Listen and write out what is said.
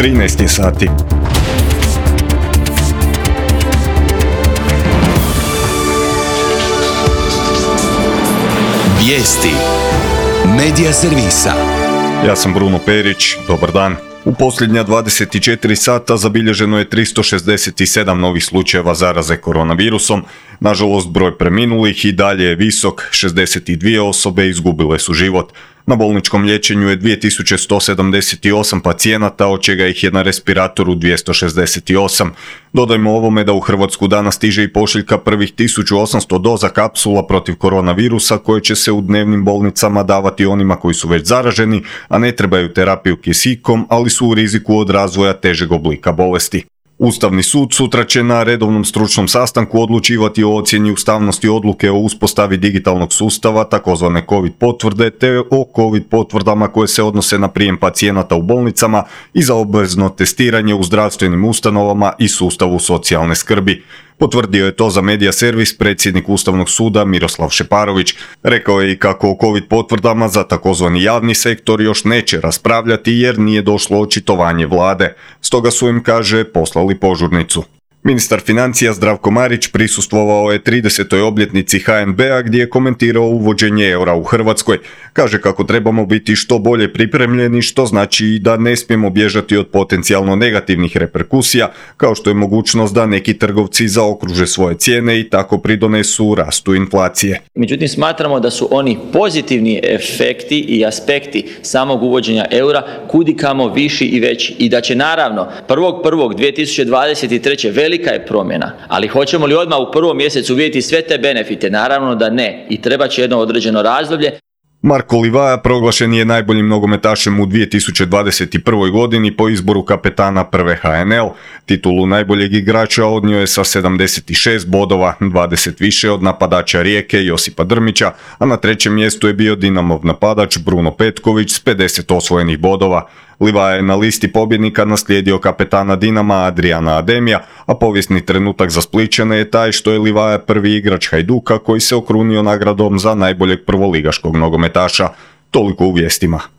13 je sati. Vijesti Medija servisa. Ja sam Bruno Perić, dobar dan. U posljednja 24 sata zabilježeno je 367 novih slučajeva zaraze koronavirusom. Nažalost, broj preminulih i dalje je visok, 62 osobe izgubile su život. Na bolničkom liječenju je 2178 pacijenata, od čega ih je na respiratoru 268. Dodajmo ovome da u Hrvatsku danas stiže i pošiljka prvih 1800 doza kapsula protiv koronavirusa koje će se u dnevnim bolnicama davati onima koji su već zaraženi, a ne trebaju terapiju kisikom, ali su u riziku od razvoja težeg oblika bolesti. Ustavni sud sutra će na redovnom stručnom sastanku odlučivati o ocjeni ustavnosti odluke o uspostavi digitalnog sustava, takozvane COVID potvrde, te o COVID potvrdama koje se odnose na prijem pacijenata u bolnicama i za obvezno testiranje u zdravstvenim ustanovama i sustavu socijalne skrbi. Potvrdio je to za Medija servis predsjednik Ustavnog suda Miroslav Šeparović. Rekao je i kako o COVID potvrdama za takozvani javni sektor još neće raspravljati jer nije došlo očitovanje vlade. Stoga su im, kaže, poslali požurnicu. Ministar financija Zdravko Marić prisustvovao je 30. obljetnici HNB-a gdje je komentirao uvođenje eura u Hrvatskoj. Kaže kako trebamo biti što bolje pripremljeni, što znači i da ne smijemo bježati od potencijalno negativnih reperkusija, kao što je mogućnost da neki trgovci zaokruže svoje cijene i tako pridonesu rastu inflacije. Međutim, smatramo da su oni pozitivni efekti i aspekti samog uvođenja eura kudikamo viši i veći i da će naravno 1.1.2023. velika je promjena, ali hoćemo li odmah u prvom mjesecu vidjeti sve te benefite? Naravno da ne i treba će jedno određeno razdoblje. Marko Livaja proglašen je najboljim nogometašem u 2021. godini po izboru kapetana prve HNL. Titulu najboljeg igrača odnio je sa 76 bodova, 20 više od napadača Rijeke Josipa Drmića, a na trećem mjestu je bio Dinamov napadač Bruno Petković s 50 osvojenih bodova. Livaja je na listi pobjednika naslijedio kapetana Dinama Adriana Ademija, a povijesni trenutak za Splićane je taj što je Livaja prvi igrač Hajduka koji se okrunio nagradom za najboljeg prvoligaškog nogometaša. Toliko u vijestima.